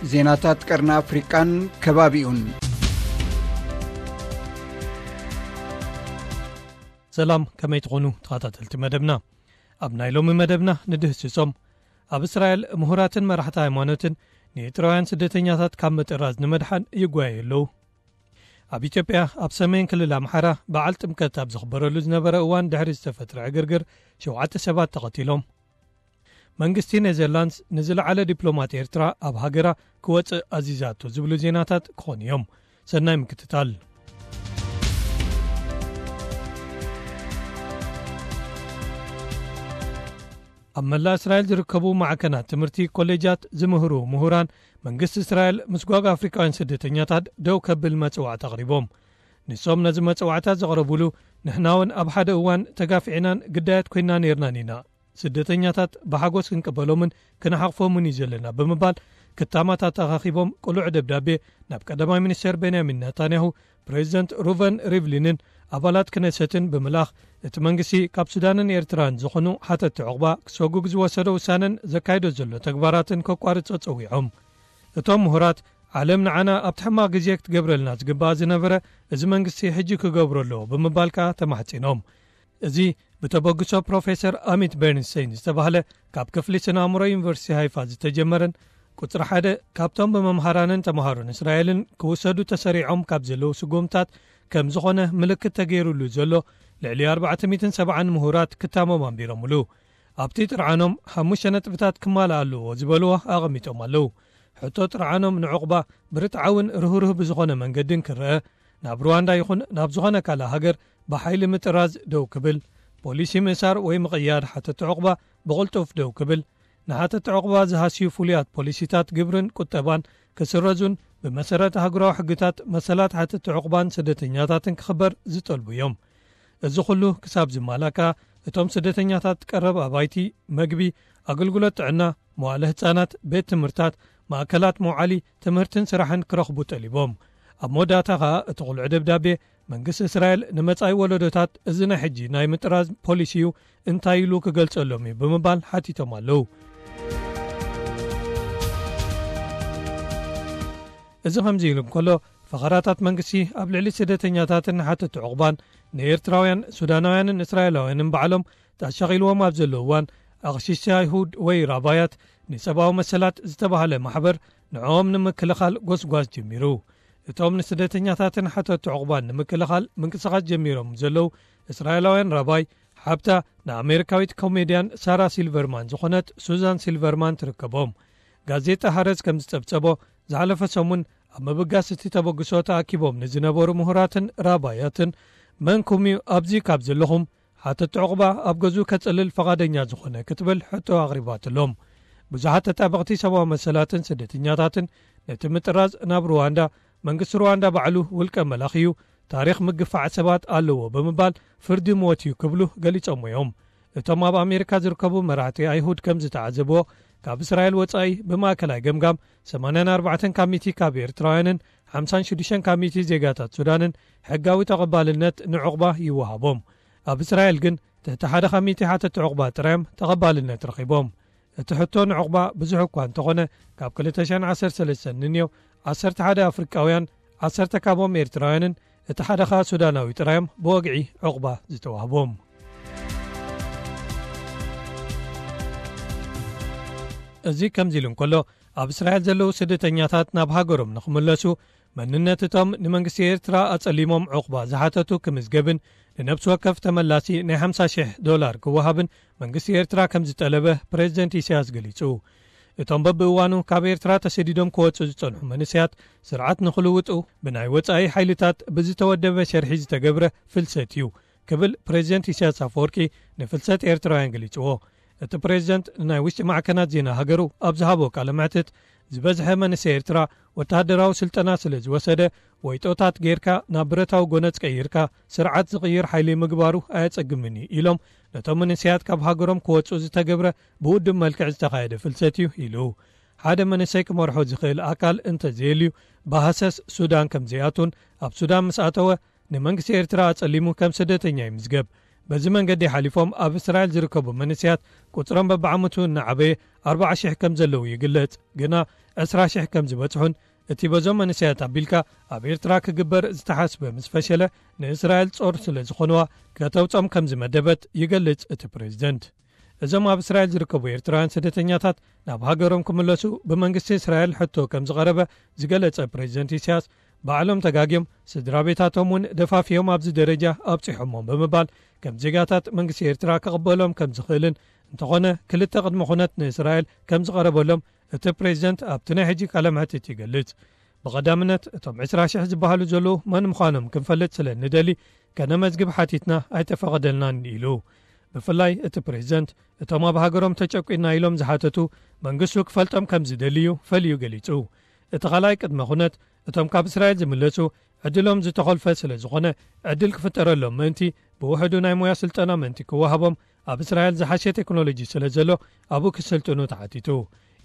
ዜናታት ቀርኒ ኣፍሪቃን ከባቢኡን። ሰላም፣ ከመይ ትኾኑ ተኸታተልቲ መደብና? ኣብ ናይ ሎሚ መደብና ንድህስሶም። ኣብ እስራኤል ምሁራትን መራሕቲ ሃይማኖትን ንኤርትራውያን ስደተኛታት ካብ ምጥራዝ ንምድሓን ይጓየዩ ኣለዉ። ኣብ ኢትዮጵያ ኣብ ሰሜን ክልል ኣምሓራ በዓል ጥምቀት ኣብ ዝኽበረሉ ዝነበረ እዋን ድሕሪ ዝተፈጥረ ዕግርግር ሸውዓተ ሰባት ተቐቲሎም። መንግስቲ ኔዘርላንድስ ንዝለዓለ ዲፕሎማት ኤርትራ ኣብ ሃገራ ክወጽእ ኣዚዛቶ ዝብሉ ዜናታት ክኾኑ እዮም። ሰናይ ምክትታል። ኣብ መላእ እስራኤል ዝርከቡ ማዕከናት ትምህርቲ ኮሌጃት ዝምህሩ ምሁራን መንግስቲ እስራኤል ምስ ጓግ ኣፍሪቃውያን ስደተኛታት ደው ከብል መጽዋዕታ ኣቕሪቦም። ንሶም ነዚ መጽዋዕታ ዘቕረቡሉ ንሕና እውን ኣብ ሓደ እዋን ተጋፊዕናን ግዳያት ኮይና ነይርናን ኢና። ስደተኛታት ብሓጎስ ክንቅበሎምን ክንሓቕፎምን እዩ ዘለና ብምባል ክታማት ኣተኻኺቦም ቅሉዕ ደብዳቤ ናብ ቀዳማይ ሚኒስተር ቤንያሚን ናታንያሁ፣ ፕሬዚደንት ሩቨን ሪቭሊንን ኣባላት ክነሰትን ብምልኣኽ እቲ መንግስቲ ካብ ሱዳንን ኤርትራን ዝኾኑ ሓተቲ ዑቕባ ክሰጉግ ዝወሰዶ ውሳነን ዘካይዶ ዘሎ ተግባራትን ከቋርጾ ጸዊዖም። እቶም ምሁራት ዓለም ንዓና ኣብቲ ሕማቕ ግዜ ክትገብረልና ዝግባኣ ዝነበረ እዚ መንግስቲ ሕጂ ክገብሮ ኣለዎ ብምባል ከኣ ተማሕጺኖም። እዚ ብተበግሶ ፕሮፌሰር ኣሚት በርንስቴይን ዝተባህለ ካብ ክፍሊ ስነ ኣእምሮ ዩኒቨርሲቲ ሃይፋ ዝተጀመረን ቁጽሪ ሓደ ካብቶም ብመምሃራንን ተምሃሮን እስራኤልን ክውሰዱ ተሰሪዖም ካብ ዘለዉ ስጉምታት ከም ዝኾነ ምልክት ተገይሩሉ ዘሎ ልዕሊ ኣርባዕተ ሚእትን ሰብዓን ምሁራት ክታሞም ኣንቢሮምሉ። ኣብቲ ጥርዓኖም ሓሙሽተ ነጥብታት ክማልእ ኣለዎ ዝበልዎ ኣቐሚጦም ኣለዉ። ሕቶ ጥርዓኖም ንዕቑባ ብርትዓውን ርህሩህ ብዝኾነ መንገድን ክረአ፣ ናብ ሩዋንዳ ይኹን ናብ ዝኾነ ካልእ ሃገር ብሓይሊ ምጥራዝ ደው ክብል፣ ፖሊሲ ምእሳር ወይ ምቕያድ ሓተቲ ዕቑባ ብቕልጡፍ ደው ክብል፣ ንሓተቲ ዕቑባ ዝሃስዩ ፍሉያት ፖሊሲታት ግብርን ቁጠባን ክስረዙን ብመሰረት ኣህጉራዊ ሕግታት መሰላት ሓተቲ ዕቑባን ስደተኛታትን ክኽበር ዝጠልቡ እዮም። እዚ ኩሉ ክሳብ ዝማላእ ከኣ እቶም ስደተኛታት ቀረብ ኣባይቲ፣ መግቢ፣ ኣገልግሎት ጥዕና፣ መዋእለ ህጻናት፣ ቤት ትምህርታት፣ ማእከላት መውዓሊ፣ ትምህርትን ስራሕን ክረኽቡ ጠሊቦም። ኣብ መወዳእታ ከኣ እቲ ቅሉዕ ደብዳቤ መንግስቲ እስራኤል ንመጻኢ ወለዶታት እዚ ናይ ሕጂ ናይ ምጥራዝ ፖሊሲኡ እንታይ ኢሉ ክገልጸሎም እዩ ብምባል ሓቲቶም ኣለዉ። እዚ ከምዚ ኢሉ እንከሎ፣ ፈኸራታት መንግስቲ ኣብ ልዕሊ ስደተኛታትን ሓተቲ ዕቑባን ንኤርትራውያን፣ ሱዳናውያንን እስራኤላውያንን ባዕሎም ተሻቒልዎም ኣብ ዘለዉ እዋን፣ ኣቕሽሽቲ ኣይሁድ ወይ ራባያት ንሰብኣዊ መሰላት ዝተባህለ ማሕበር ንዕኦም ንምክልኻል ጎስጓስ ጀሚሩ። እቶም ንስደተኛታትን ሓተቲ ዕቑባን ንምክልኻል ምንቅስቓስ ጀሚሮም ዘለዉ እስራኤላውያን ራባይ ሓብታ ንኣሜሪካዊት ኮሜድያን ሳራ ሲልቨርማን ዝኾነት ሱዛን ሲልቨርማን ትርከቦም። ጋዜጣ ሃረዝ ከም ዝጸብጸቦ፣ ዝሓለፈ ሰሙን ኣብ ምብጋስ እቲ ተበግሶ ተኣኪቦም ንዝነበሩ ምሁራትን ራባያትን፣ "መንኩም እዩ ኣብዚ ካብ ዘለኹም ሓተቲ ዕቑባ ኣብ ገዝኡ ከጽልል ፈቓደኛ ዝኾነ?" ክትብል ሕቶ ኣቕሪባትሎም። ብዙሓት ተጣበቕቲ ሰብኣዊ መሰላትን ስደተኛታትን ነቲ ምጥራዝ ናብ ሩዋንዳ፣ መንግስቲ ሩዋንዳ ባዕሉ ውልቀ መላኺ እዩ፣ ታሪኽ ምግፋዕ ሰባት ኣለዎ ብምባል ፍርዲ ሞት እዩ ክብሉ ገሊጾም እዮም። እቶም ኣብ ኣሜሪካ ዝርከቡ መራሕቲ ኣይሁድ ከም ዝተዓዘብዎ፣ ካብ እስራኤል ወጻኢ ብማእከላይ ገምጋም ሰማንያን ኣርባዕተን ካብ ሚእቲ ካብ ኤርትራውያንን ሓምሳን ሽዱሽተን ካብ ሚእቲ ዜጋታት ሱዳንን ሕጋዊ ተቐባልነት ንዕቑባ ይወሃቦም። ኣብ እስራኤል ግን ትሕቲ ሓደ ካብ ሚእቲ ሓተቲ ዕቑባ ጥራዮም ተቐባልነት ረኺቦም። እቲ ሕቶ ንዕቑባ ብዙሕ እኳ እንተኾነ፣ ካብ ክልተ ሽሕን ዓሰርተ ሰለስተን ንንየው ዓሰርተ ሓደ ኣፍሪቃውያን፣ ዓሰርተ ካብኦም ኤርትራውያንን እቲ ሓደ ኸኣ ሱዳናዊ ጥራዮም ብወግዒ ዕቑባ ዝተዋህቦም። እዚ ከምዚ ኢሉ እንከሎ፣ ኣብ እስራኤል ዘለዉ ስደተኛታት ናብ ሃገሮም ንኽምለሱ፣ መንነት እቶም ንመንግስቲ ኤርትራ ኣጸሊሞም ዕቑባ ዝሓተቱ ክምዝገብን ንነብሲ ወከፍ ተመላሲ ናይ ሓምሳ ሽሕ ዶላር ክወሃብን መንግስቲ ኤርትራ ከም ዝጠለበ ፕሬዚደንት ኢሳያስ ገሊጹ። እቶም በብእዋኑ ካብ ኤርትራ ተሰዲዶም ክወጹ ዝጸንሑ መንእሰያት፣ ስርዓት ንኽልውጡ ብናይ ወጻኢ ሓይልታት ብዝተወደበ ሸርሒ ዝተገብረ ፍልሰት እዩ ክብል ፕሬዚደንት ኢሳያስ ኣፈወርቂ ንፍልሰት ኤርትራውያን ገሊጽዎ። እቲ ፕሬዚደንት ንናይ ውሽጢ ማዕከናት ዜና ሃገሩ ኣብ ዝሃቦ ቃለ መሕትት፣ ዝበዝሐ መንእሰይ ኤርትራ ወተሃደራዊ ስልጠና ስለ ዝወሰደ፣ ወይጦታት ጌርካ ናብ ብረታዊ ጎነጽ ቀይርካ ስርዓት ዝቕይር ሓይሊ ምግባሩ ኣየጸግምን እዩ ኢሎም፣ ነቶም መንእሰያት ካብ ሃገሮም ክወጹ ዝተገብረ ብውድብ መልክዕ ዝተኻየደ ፍልሰት እዩ ኢሉ። ሓደ መንእሰይ ክመርሖ ዝኽእል ኣካል እንተዘየልዩ፣ ብሃሰስ ሱዳን ከም ዘይኣቱን ኣብ ሱዳን ምስ ኣተወ ንመንግስቲ ኤርትራ ኣጸሊሙ ከም ስደተኛ ይምዝገብ። በዚ መንገዲ ሓሊፎም ኣብ እስራኤል ዝርከቡ መንእሰያት ቁጽሮም በብዓመቱ እናዓበየ ኣርባዓ ሽሕ ከም ዘለዉ ይግለጽ። ግና ዕስራ ሽሕ ከም ዝበጽሑን እቲ በዞም መንእሰያት ኣቢልካ ኣብ ኤርትራ ክግበር ዝተሓስበ ምስ ፈሸለ ንእስራኤል ጾር ስለ ዝኾንዋ ከተውጾም ከም ዝመደበት ይገልጽ እቲ ፕሬዝደንት። እዞም ኣብ እስራኤል ዝርከቡ ኤርትራውያን ስደተኛታት ናብ ሃገሮም ክምለሱ ብመንግስቲ እስራኤል ሕቶ ከም ዝቐረበ ዝገለጸ ፕሬዝደንት ኢሳያስ፣ ባዕሎም ተጋግዮም ስድራ ቤታቶም እውን ደፋፊዮም ኣብዚ ደረጃ ኣብጺሖሞም ብምባል፣ ከም ዜጋታት መንግስቲ ኤርትራ ክቕበሎም ከም ዝኽእልን፣ እንተኾነ ክልተ ቅድመ ኩነት ንእስራኤል ከም ዝቐረበሎም እቲ ፕሬዝደንት ኣብቲ ናይ ሕጂ ቃለ መሕትት ይገልጽ። ብቐዳምነት እቶም ዕስራ ሽሕ ዝበሃሉ ዘለዉ መን ምዃኖም ክንፈልጥ ስለ ንደሊ ከነመዝግብ ሓቲትና ኣይተፈቐደልናን ኢሉ። ብፍላይ እቲ ፕሬዝደንት እቶም ኣብ ሃገሮም ተጨቂና ኢሎም ዝሓተቱ መንግስቱ ክፈልጦም ከም ዝደልዩ ፈልዩ ገሊጹ። እቲ ካልኣይ ቅድመ ኩነት እቶም ካብ እስራኤል ዝምለሱ ዕድሎም ዝተኾልፈ ስለ ዝኾነ ዕድል ክፍጠረሎም ምእንቲ ብውሕዱ ናይ ሞያ ስልጠና ምእንቲ ክወሃቦም ኣብ እስራኤል ዝሓሸ ቴክኖሎጂ ስለ ዘሎ ኣብኡ ክስልጥኑ ተሓቲቱ።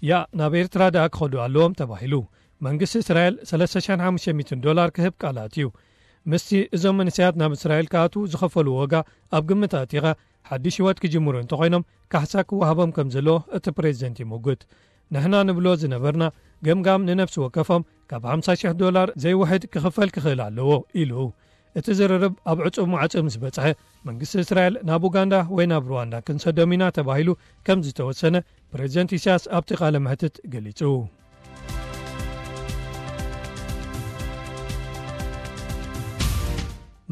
ያ ናብ ኤርትራ ደኣ ክኸዱ ኣለዎም ተባሂሉ። መንግስቲ እስራኤል ሰለስተ ሽሕን ሓሙሽተ ሚእትን ዶላር ክህብ ቃል ኣትዩ። ምስቲ እዞም መንእሰያት ናብ እስራኤል ክኣትዉ ዝኸፈሉ ዋጋ ኣብ ግምት ኣእቲኻ ሓድሽ ህይወት ክጅምሩ እንተኾይኖም ካሕሳ ክወሃቦም ከም ዘለዎ እቲ ፕሬዝደንት ይምጉት። ንሕና ንብሎ ዝነበርና ገምጋም ንነፍሲ ወከፎም ካብ ሓምሳ ሽሕ ዶላር ዘይውሕድ ክኽፈል ክኽእል ኣለዎ ኢሉ። እቲ ዝርርብ ኣብ ዕጹብ ማዕጾ ምስ በጽሐ መንግስቲ እስራኤል ናብ ኡጋንዳ ወይ ናብ ሩዋንዳ ክንሰዶም ኢና ተባሂሉ ከም ዝተወሰነ ፕሬዝደንት ኢሳያስ ኣብቲ ቃለ መሕትት ገሊጹ።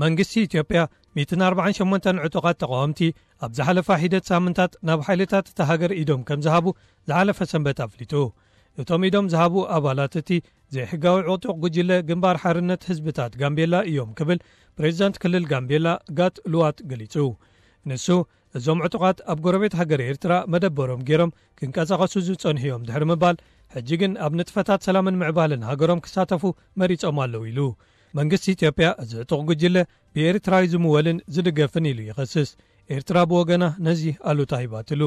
መንግስቲ ኢትዮጵያ ሚእትን ኣርባዓን ሸሞንተን ዕጡቓት ተቓወምቲ ኣብ ዝሓለፋ ሒደት ሳምንታት ናብ ሓይልታት እታ ሃገር ኢዶም ከም ዝሃቡ ዝሓለፈ ሰንበት ኣፍሊጡ። እቶም ኢዶም ዝሃቡ ኣባላት እቲ ዘይሕጋዊ ዕጡቕ ጉጅለ ግንባር ሓርነት ህዝብታት ጋምቤላ እዮም ክብል ፕሬዝዳንት ክልል ጋምቤላ ጋት ሉዋት ገሊጹ። ንሱ እዞም ዕጡቓት ኣብ ጎረቤት ሃገር ኤርትራ መደበሮም ገይሮም ክንቀሳቐሱ ዝጸንሑ እዮም ድሕሪ ምባል፣ ሕጂ ግን ኣብ ንጥፈታት ሰላምን ምዕባለን ሃገሮም ክሳተፉ መሪጾም ኣለዉ ኢሉ። መንግስቲ ኢትዮጵያ እዚ ዕጡቕ ጉጅለ ብኤርትራዊ ዝምወልን ዝድገፍን ኢሉ ይኸስስ። ኤርትራ ብወገና ነዚ ኣሉታ ሂባትሉ።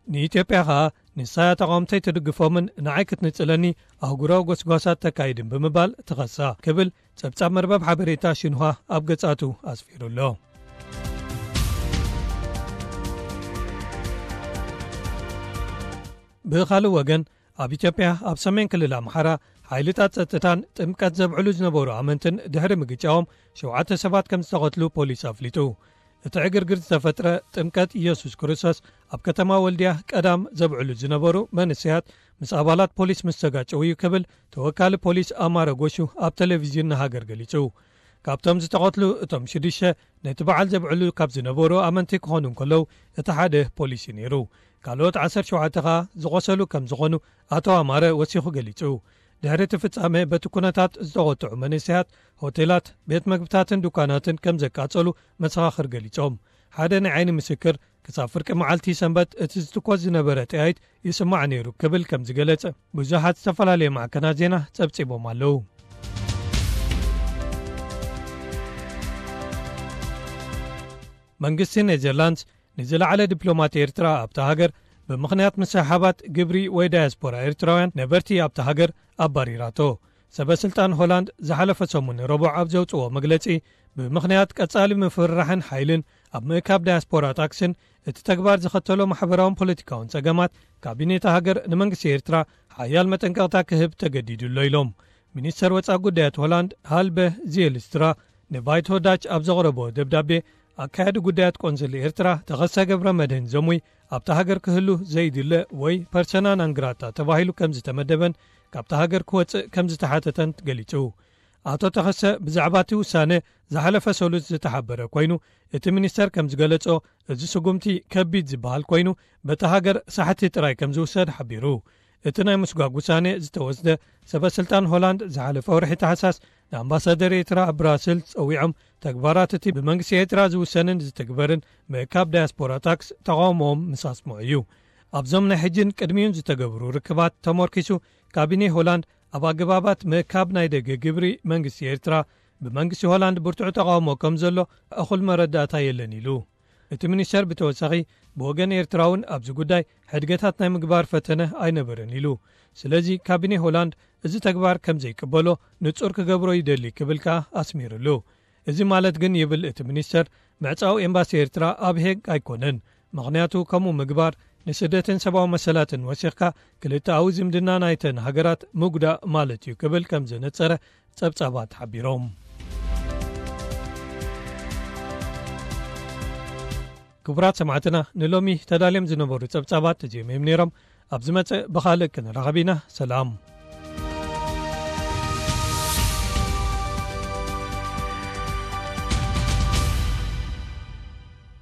ንኢትዮጵያ ኸኣ ንሳያ ተቓወምተይ ትድግፎምን ንዓይ ክትንጽለኒ ኣህጉራዊ ጎስጓሳት ተካይድን ብምባል ትኸሳ ክብል ጸብጻብ መርበብ ሓበሬታ ሽንሃ ኣብ ገጻቱ ኣስፊሩ ኣሎ። ብኻልእ ወገን ኣብ ኢትዮጵያ ኣብ ሰሜን ክልል ኣምሓራ ሓይልታት ጸጥታን ጥምቀት ዘብዕሉ ዝነበሩ ኣመንትን ድሕሪ ምግጫዎም ሸውዓተ ሰባት ከም ዝተቐትሉ ፖሊስ ኣፍሊጡ። እቲ ዕግርግር ዝተፈጥረ ጥምቀት ኢየሱስ ክርስቶስ ኣብ ከተማ ወልድያ ቀዳም ዘብዕሉ ዝነበሩ መንእሰያት ምስ ኣባላት ፖሊስ ምስ ተጋጨው እዩ ክብል ተወካሊ ፖሊስ ኣማረ ጎሹ ኣብ ቴሌቪዥን ንሃገር ገሊጹ። ካብቶም ዝተቐትሉ እቶም ሽዱሽተ ነቲ በዓል ዘብዕሉ ካብ ዝነበሩ ኣመንቲ ክኾኑ እንከለዉ እቲ ሓደ ፖሊስ እዩ ነይሩ። ካልኦት ዓሰርተ ሸውዓተ ኸኣ ዝቖሰሉ ከም ዝኾኑ ኣቶ ኣማረ ወሲኹ ገሊጹ። ድሕሪ እቲ ፍጻመ በቲ ኩነታት ዝተቖጥዑ መንእሰያት ሆቴላት፣ ቤት መግብታትን ዱካናትን ከም ዘቃጸሉ መሰኻኽር ገሊጾም። ሓደ ናይ ዓይኒ ምስክር ክሳብ ፍርቂ መዓልቲ ሰንበት እቲ ዝትኮስ ዝነበረ ጠያይት ይስማዕ ነይሩ ክብል ከም ዝገለጸ ብዙሓት ዝተፈላለየ ማዕከናት ዜና ጸብጺቦም ኣለዉ። መንግስቲ ኔዘርላንድስ ንዝለዓለ ዲፕሎማት ኤርትራ ኣብታ ሃገር ብምኽንያት ምስሕሓባት ግብሪ ወይ ዳያስፖራ ኤርትራውያን ነበርቲ ኣብታ ሃገር ኣባሪራቶ። ሰበ ስልጣን ሆላንድ ዝሓለፈ ሰሙን ረቡዕ ኣብ ዘውጽዎ መግለጺ፣ ብምኽንያት ቀጻሊ ምፍርራሕን ሓይልን ኣብ ምእካብ ዳያስፖራ ታክስን እቲ ተግባር ዘኸተሎ ማሕበራውን ፖለቲካውን ጸገማት፣ ካቢኔት ሃገር ንመንግስቲ ኤርትራ ሓያል መጠንቀቕታ ክህብ ተገዲዱ ኣሎ ኢሎም። ሚኒስተር ወጻኢ ጉዳያት ሆላንድ ሃልበ ዚየልስትራ ንባይቶ ዳች ኣብ ዘቕረቦ ደብዳቤ፣ ኣካያዲ ጉዳያት ቆንስል ኤርትራ ተኸሰ ገብረ መድህን ዘሙይ ኣብታ ሃገር ክህሉ ዘይድለ ወይ ፐርሰና ናንግራታ ተባሂሉ ከም ዝተመደበን ካብታ ሃገር ክወጽእ ከም ዝተሓተተን ገሊጹ። ኣቶ ተኸሰ ብዛዕባ እቲ ውሳነ ዝሓለፈ ሰሉስ ዝተሓበረ ኮይኑ፣ እቲ ሚኒስተር ከም ዝገለጾ፣ እዚ ስጉምቲ ከቢድ ዝበሃል ኮይኑ፣ በታ ሃገር ሳሕቲ ጥራይ ከም ዝውሰድ ሓቢሩ። እቲ ናይ ምስጓግ ውሳኔ ዝተወስደ ሰበ ስልጣን ሆላንድ ዝሓለፈ ወርሒ ታሕሳስ ንኣምባሳደር ኤርትራ ኣብ ብራስልስ ጸዊዖም፣ ተግባራት እቲ ብመንግስቲ ኤርትራ ዝውሰንን ዝትግበርን ምእካብ ዳያስፖራ ታክስ ተቓውሞኦም ምስ ኣስምዑ እዩ። ኣብዞም ናይ ሕጂን ቅድሚኡን ዝተገብሩ ርክባት ተመርኪሱ፣ ካቢኔ ሆላንድ ኣብ ኣገባባት ምእካብ ናይ ደገ ግብሪ መንግስቲ ኤርትራ፣ ብመንግስቲ ሆላንድ ብርቱዕ ተቓውሞ ከም ዘሎ እኹል መረዳእታ የለን ኢሉ። እቲ ሚኒስተር ብተወሳኺ፣ ብወገን ኤርትራ እውን ኣብዚ ጉዳይ ሕድገታት ናይ ምግባር ፈተነ ኣይነበረን ኢሉ። ስለዚ ካቢኔ ሆላንድ እዚ ተግባር ከም ዘይቅበሎ ንጹር ክገብሮ ይደሊ ክብል ከኣ ኣስሚሩሉ። እዚ ማለት ግን፣ ይብል እቲ ሚኒስተር፣ ምዕጻው ኤምባሲ ኤርትራ ኣብ ሄግ ኣይኮነን። ምኽንያቱ፣ ከምኡ ምግባር ንስደትን ሰብኣዊ መሰላትን ወሲኽካ፣ ክልተኣዊ ዝምድና ናይተን ሃገራት ምጉዳእ ማለት እዩ ክብል ከም ዘነጸረ ጸብጻባት ሓቢሮም። ክቡራት ሰማዕትና፣ ንሎሚ ተዳልዮም ዝነበሩ ጸብጻባት እዚኦም እዮም ነይሮም። ኣብ ዝመጽእ ብኻልእ ክንራኸብ ኢና። ሰላም።